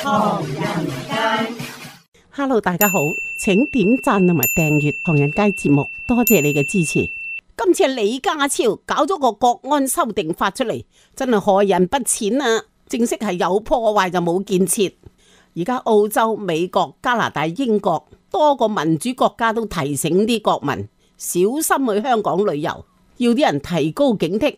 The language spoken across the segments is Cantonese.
唐人街。Hello， 大家好，請點讚同埋訂閱唐人街節目，多謝你嘅支持。今次李家超搞咗個國安修訂法出嚟，真係害人不淺啊！正式係有破壞就冇建設。而家澳洲、美國、加拿大、英國多個民主國家都提醒啲國民小心去香港旅遊，要啲人提高警惕，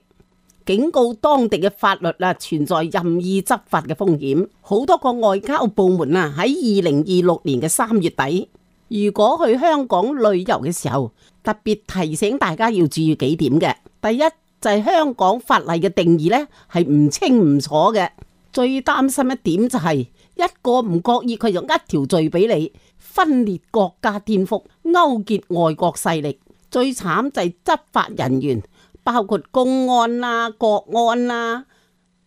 警告當地嘅法律存在任意執法嘅風險。好多個外交部門喺2026年嘅3月底，如果去香港旅遊嘅時候，特別提醒大家要注意幾點嘅。第一就係香港法例嘅定義係唔清唔楚嘅，最擔心一點就係一個唔覺意佢就一條罪俾你，分裂國家顛覆，勾結外國勢力。最慘就係執法人員，包括公安啦、國安啦、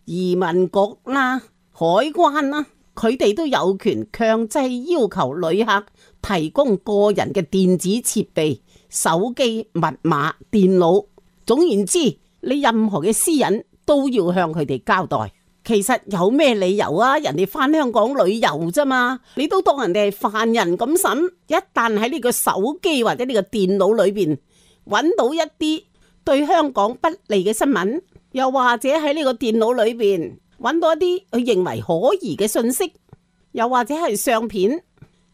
移民局啦、海關啦，佢哋都有權強制要求旅客提供個人嘅電子設備、手機、密碼、電腦，總言之，你任何嘅私隱都要向佢哋交代。其實有咩理由啊？人哋返香港旅遊啫嘛，你都當人哋係犯人咁審。一旦喺呢個手機或者呢個電腦裏邊揾到一啲對香港不利嘅新聞，又或者喺呢個電腦裏邊揾到一啲佢認為可疑嘅信息，又或者係相片，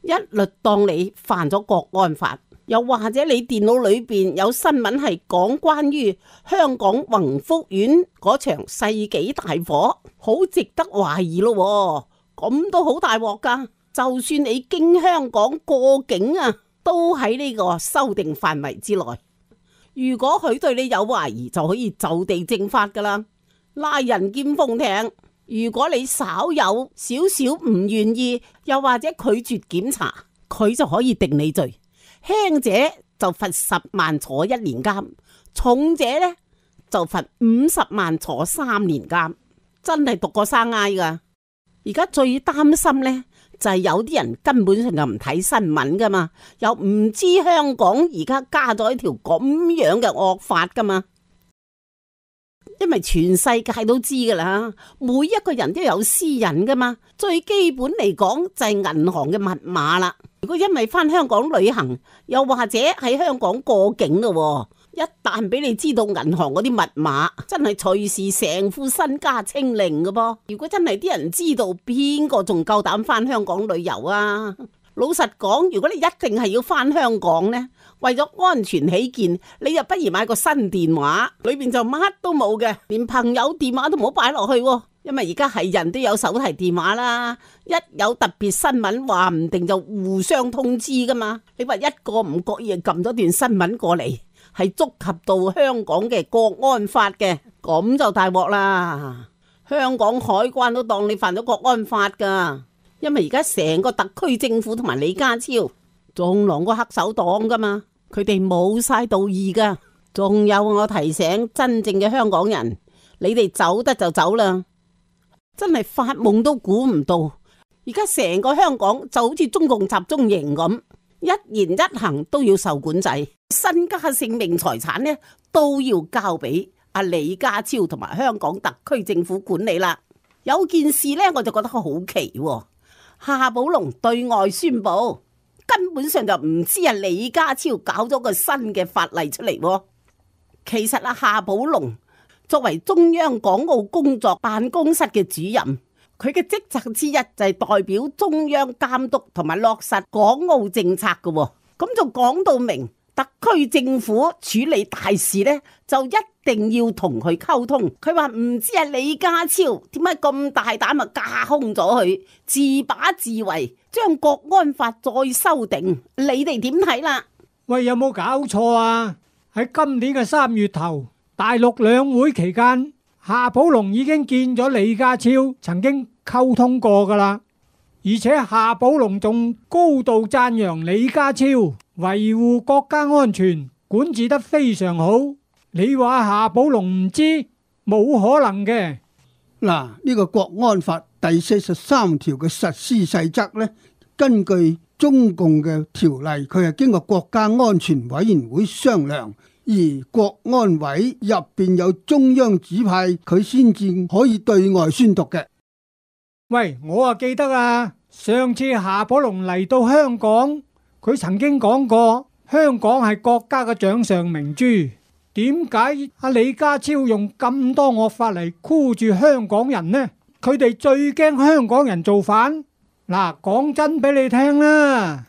一律當你犯咗國安法。又或者你電腦裏邊有新聞係講關於香港宏福苑嗰場世紀大火，好值得懷疑咯。咁都好大鑊噶。就算你經香港過境都喺呢個修訂範圍之內。如果佢對你有懷疑，就可以就地正法噶啦，拉人兼封艇。如果你稍有少少唔願意，又或者拒絕檢查，佢就可以定你罪。輕者就罰10萬坐1年監，重者就罰50萬坐3年監，真係毒過生挨噶。而家最擔心就係有啲人根本上就唔睇新聞噶嘛，又唔知香港而家加咗一條咁樣嘅惡法噶嘛。因為全世界都知噶啦，每一個人都有私隱噶嘛，最基本嚟講就係銀行嘅密碼啦。如果因為返香港旅行，又或者喺香港過境咯，一旦俾你知道銀行嗰啲密碼，真係隨時成副身家清零噶噃。如果真係啲人知道，邊個仲夠膽返香港旅遊啊？老實講，如果你一定係要返香港呢，為咗安全起見，你又不如買個新電話，裏邊就乜都冇嘅，連朋友電話都唔好擺落去，因為而家係人都有手提電話啦，一有特別新聞話唔定就互相通知噶嘛。你話一個唔覺意撳咗段新聞過嚟，係觸及到香港嘅國安法嘅，咁就大鑊啦。香港海關都當你犯咗國安法噶。因為而家成個特區政府同埋李家超仲狼過黑手黨噶嘛，佢哋冇晒道義噶。仲有我提醒真正嘅香港人，你哋走得就走啦，真係發夢都估唔到。而家成個香港就好似中共集中營咁，一言一行都要受管制，身家性命財產都要交俾阿李家超同埋香港特區政府管理啦。有件事我就覺得好奇喎。夏寶龍對外宣布，根本上就唔知李家超搞咗個新嘅法例出嚟。其實夏寶龍作為中央港澳工作辦公室嘅主任，佢嘅職責之一就係代表中央監督同埋落實港澳政策嘅。咁就講到明，特區政府處理大事就一定要同佢溝通。佢話唔知李家超點解咁大膽架空咗佢，自把自為，將國安法再修訂，你哋點睇啦？喂，有冇搞錯啊？喺今年嘅3月頭，大陸兩會期間，夏寶龍已經見咗李家超，曾經溝通過噶啦。而且夏寶龍仲高度讚揚李家超維護國家安全，管治得非常好。你話夏寶龍唔知，冇可能嘅。嗱，呢個國安法第43條嘅實施細則呢，根據中共嘅條例，佢係經過國家安全委員會商量，而國安委入邊有中央指派，佢先至可以對外宣讀嘅。喂，我啊記得啊，上次夏寶龍嚟到香港，佢曾經講過香港係國家嘅掌上明珠。點解阿李家超用咁多惡法嚟箍住香港人呢？佢哋最驚香港人造反。嗱，講真俾你聽啦，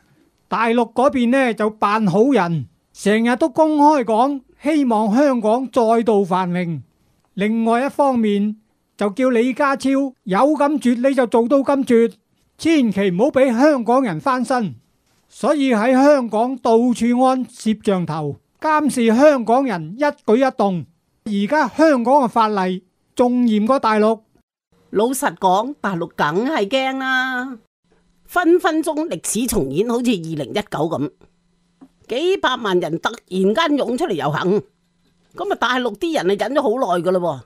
大陸嗰邊呢就扮好人，成日都公開講希望香港再度繁榮。另外一方面就叫李家超有咁絕你就做到咁絕，千祈唔好俾香港人翻身。所以喺香港到處安攝像頭，監視香港人一舉一動。而家香港嘅法例仲嚴過大陸。老實講，大陸梗係驚啦，分分鐘歷史重演，好似2019咁，幾百萬人突然間湧出嚟遊行，咁啊大陸啲人啊忍咗好耐噶啦，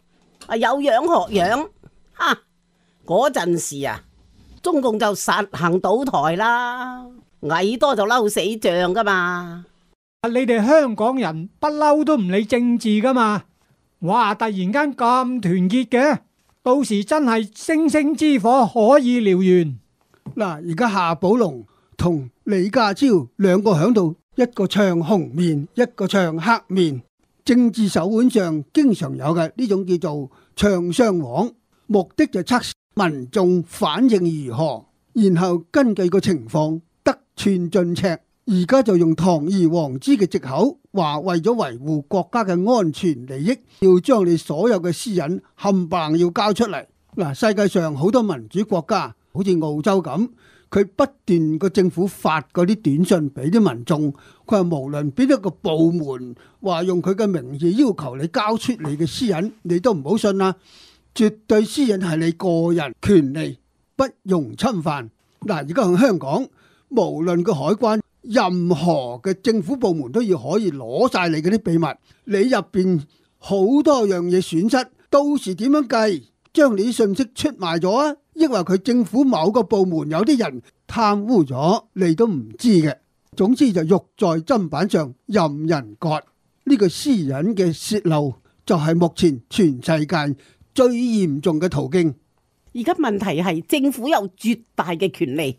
啊有樣學樣，嗰陣時啊，中共就實行倒台啦，蟻多就嬲死象噶嘛。你哋香港人不嬲都唔理政治噶嘛，哇！突然間咁團結嘅，到時真係星星之火可以燎原。嗱，而家夏寶龍同李家超兩個喺度，一個唱紅面，一個唱黑面。政治手腕上經常有嘅呢種叫做唱雙簧，目的就測試民眾反應如何，然後根據個情況得寸進尺。而家就用堂而皇之嘅藉口，話為咗維護國家嘅安全利益，要將你所有嘅私隱冚唪唥要交出嚟。嗱，世界上好多民主國家，好似澳洲咁，佢不斷個政府發嗰啲短信俾啲民眾，佢話無論邊一個部門話用佢嘅名義要求你交出你嘅私隱，你都唔好信啦。絕對私隱係你個人權利，不容侵犯。嗱，而家喺香港，無論個海關，任何嘅政府部門都要可以攞晒你嗰啲秘密，你入邊好多樣嘢損失，到時點樣計？將你啲信息出賣咗啊？抑或佢政府某個部門有啲人貪污咗，你都唔知嘅。總之就肉在砧板上任人割。呢個私隱嘅洩漏就係目前全世界最嚴重嘅途徑。而家問題係政府有絕大嘅權利。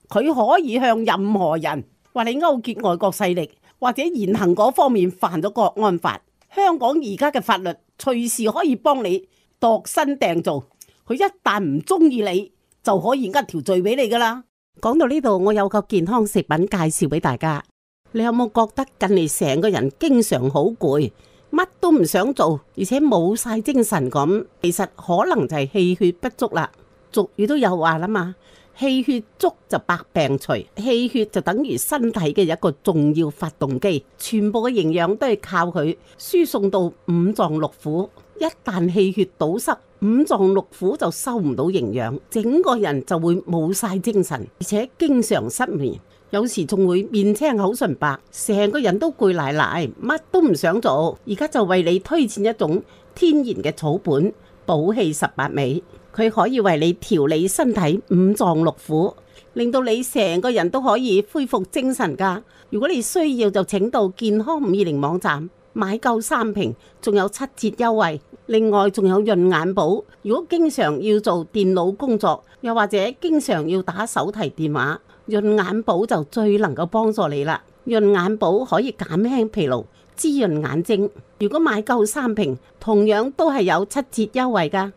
佢可以向任何人話你勾結外國勢力，或者言行嗰方面犯咗國安法。香港而家嘅法律隨時可以幫你度身訂造，佢一旦唔中意你，就可以呃條罪俾你噶啦。講到呢度，我有個健康食品介紹俾大家。你有冇覺得近嚟成個人經常好攰，乜都唔想做，而且冇晒精神咁？其實可能就係氣血不足啦。俗語都有話啦嘛，氣血足就百病除，氣血就等於身體嘅一個重要發動機，全部嘅營養都係靠佢輸送到五臟六腑。一旦氣血堵塞，五臟六腑就收唔到營養，整個人就會冇晒精神，而且經常失眠，有時仲會面青口唇白，成個人都攰賴賴，乜都唔想做。而家就為你推薦一種天然嘅草本補氣18味。佢可以為你調理身體五臟六腑，令到你成個人都可以恢復精神噶。如果你需要就請到健康520網站買夠3瓶，仲有7折優惠。另外仲有潤眼寶，如果經常要做電腦工作，又或者經常要打手提電話，潤眼寶就最能夠幫助你啦。潤眼寶可以減輕疲勞，滋潤眼睛。如果買夠3瓶，同樣都係有7折優惠噶。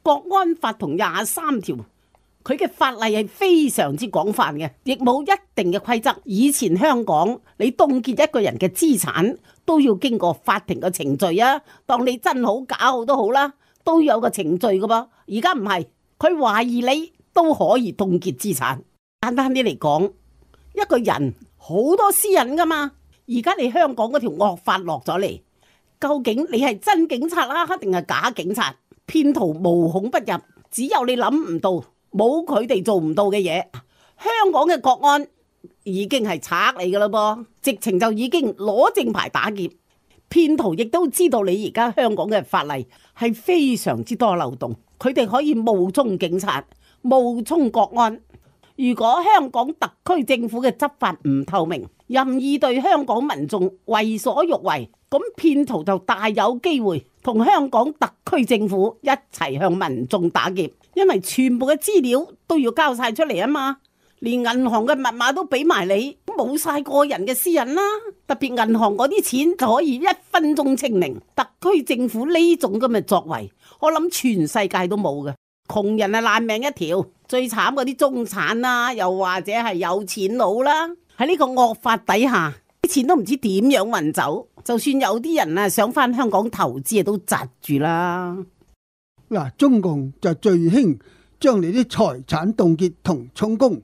國安法同23條，佢嘅法例係非常之廣泛嘅，亦冇一定嘅規則。以前香港你凍結一個人嘅資產都要經過法庭嘅程序啊，當你真好假好都好啦，都有個程序噶噃。而家唔係，佢懷疑你都可以凍結資產。簡單啲嚟講，一個人好多私隱噶嘛。而家你香港嗰條惡法落咗嚟，究竟你係真警察啦，定係假警察？騙徒無孔不入，只有你諗唔到，冇佢哋做唔到嘅嘢。香港嘅國安已經係賊嚟噶啦噃，直情就已經攞正牌打劫。騙徒亦都知道你而家香港嘅法例係非常之多漏洞，佢哋可以冒充警察、冒充國安。如果香港特區政府嘅執法唔透明，任意對香港民眾為所欲為，咁騙徒就大有機會同香港特區政府一齊向民眾打劫，因為全部嘅資料都要交晒出嚟啊嘛，連銀行嘅密碼都俾埋你，冇晒個人嘅私隱啦。特別銀行嗰啲錢就可以1分鐘清零。特區政府呢種咁嘅作為，我諗全世界都冇嘅。窮人係爛命一條，最慘嗰啲中產啦，又或者係有錢佬啦，喺呢個惡法底下，啲錢都唔知點樣運走。就算有啲人啊想翻香港投資啊，都窒住啦。嗱，中共就最興將你啲財產凍結同充公，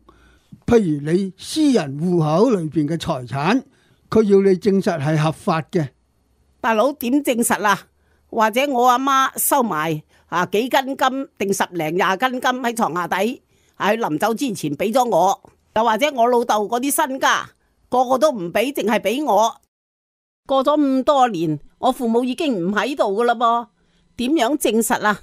譬如你私人戶口裏邊嘅財產，佢要你證實係合法嘅。大佬點證實啊？或者我阿媽收埋幾斤金定10零20斤金喺床下底，喺臨走之前俾咗我，又或者我老豆嗰啲身家個個都唔俾，淨係俾我。過咗咁多年，我父母已經唔喺度噶啦噃，點樣證實啊？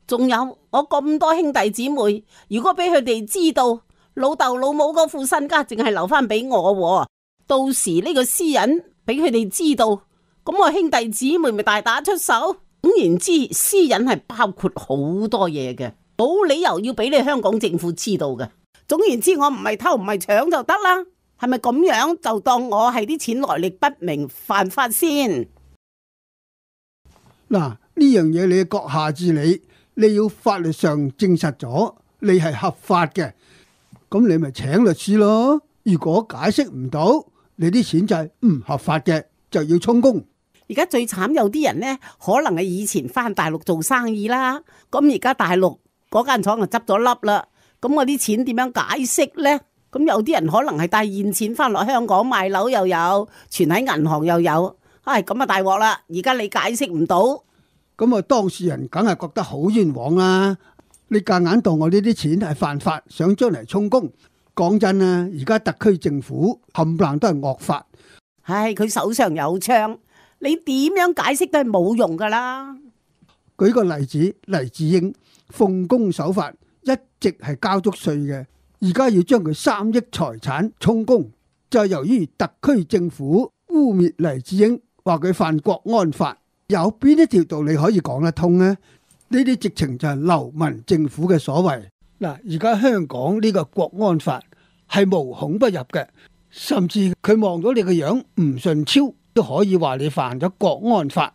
仲有我咁多兄弟姊妹，如果俾佢哋知道老豆老母嗰副身家淨係留翻俾我，到時呢個私隱俾佢哋知道，咁我兄弟姊妹咪大打出手。總言之，私隱係包括好多嘢嘅，冇理由要俾你香港政府知道嘅。總言之，我唔係偷唔係搶就得啦。係咪咁樣就當我係啲錢來歷不明犯法先？嗱，呢樣嘢你閣下治理，你要法律上證實咗你係合法嘅，咁你咪請律師咯。如果解釋唔到，你啲錢就係唔合法嘅，就要充公。而家最慘有啲人呢，可能係以前翻大陸做生意啦，咁而家大陸嗰間廠就執咗笠啦，咁我啲錢點樣解釋呢？咁有啲人可能係帶現錢翻落香港賣樓又有，存喺銀行又有，咁啊大鑊啦！而家你解釋唔到，咁啊當事人梗係覺得好冤枉啦！你夾硬當我呢啲錢係犯法，想將嚟充公。講真啊，而家特區政府冚唪唥都係惡法。佢手上有槍，你點樣解釋都係冇用噶啦。舉個例子，黎智英奉公守法，一直係交足稅嘅。而家要將佢3億財產充公，就係由於特區政府污蔑黎智英，話佢犯國安法，有邊一條道理可以講得通呢？呢啲直情就係流民政府嘅所為。嗱，而家香港呢個國安法係無孔不入嘅，甚至佢望到你個樣唔順超，都可以話你犯咗國安法。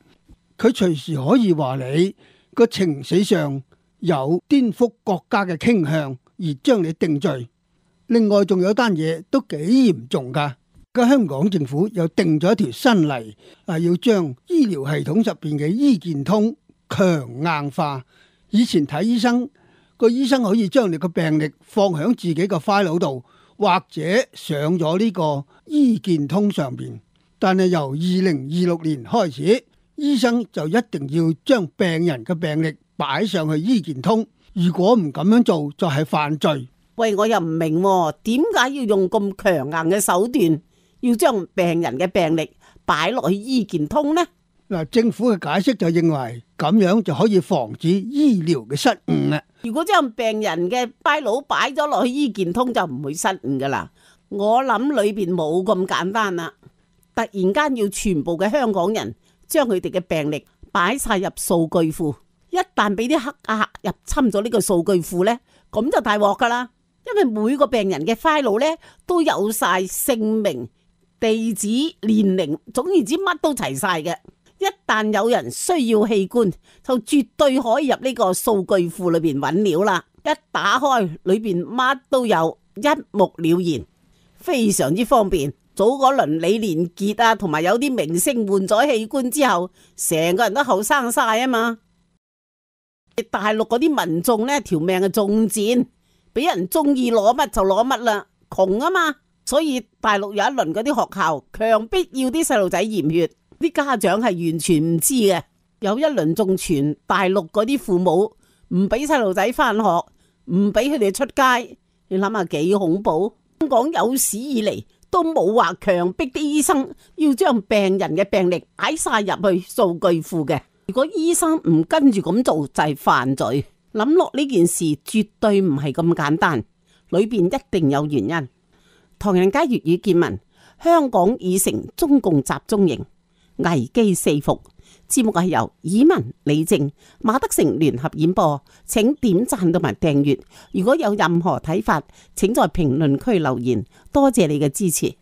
佢隨時可以話你個情緒上有顛覆國家嘅傾向，而將你定罪。另外仲有單嘢都幾嚴重噶，個香港政府又定咗一條新例，要將醫療系統入邊嘅醫健通強硬化。以前睇醫生，個醫生可以將你個病歷放響自己個 file 度，或者上咗呢個醫健通上邊。但係由2026年開始，醫生就一定要將病人嘅病歷擺上去醫健通。如果唔咁樣做，就係犯罪。喂，我又唔明點解要用咁強硬嘅手段，要將病人嘅病歷擺落去醫健通呢？嗱，政府嘅解釋就認為咁樣就可以防止醫療嘅失誤啊。如果將病人嘅 file 擺咗落去醫健通，就唔會失誤噶啦。我諗裏邊冇咁簡單啦。突然間要全部嘅香港人將佢哋嘅病歷擺晒入數據庫。一旦俾啲黑客入侵咗呢個數據庫呢，咁就大鑊噶啦。因為每個病人嘅 file 呢都有晒姓名、地址、年齡，總言之乜都齊晒嘅。一旦有人需要器官，就絕對可以入呢個數據庫裏邊揾料啦。一打開裏邊乜都有，一目了然，非常之方便。早嗰輪李連杰同埋有啲明星換咗器官之後，成個人都後生晒啊嘛。大陸嗰啲民眾呢條命係仲賤，俾人中意攞乜就攞乜啦，窮啊嘛，所以大陸有一輪嗰啲學校強迫要啲細路仔驗血，啲家長係完全唔知嘅。有一輪仲傳大陸嗰啲父母唔俾細路仔翻學，唔俾佢哋出街，你諗下幾恐怖。香港有史以嚟都冇話強迫啲醫生要將病人嘅病歷擺晒入去數據庫嘅。如果醫生唔跟住咁做，就係犯罪。諗落呢件事絕對唔係咁簡單，裏邊一定有原因。唐人街粵語見聞，香港已成中共集中營，危機四伏，節目係由以文、李靜、馬德成聯合演播，請點讚同埋訂閱。如果有任何睇法，請在評論區留言。多謝你嘅支持。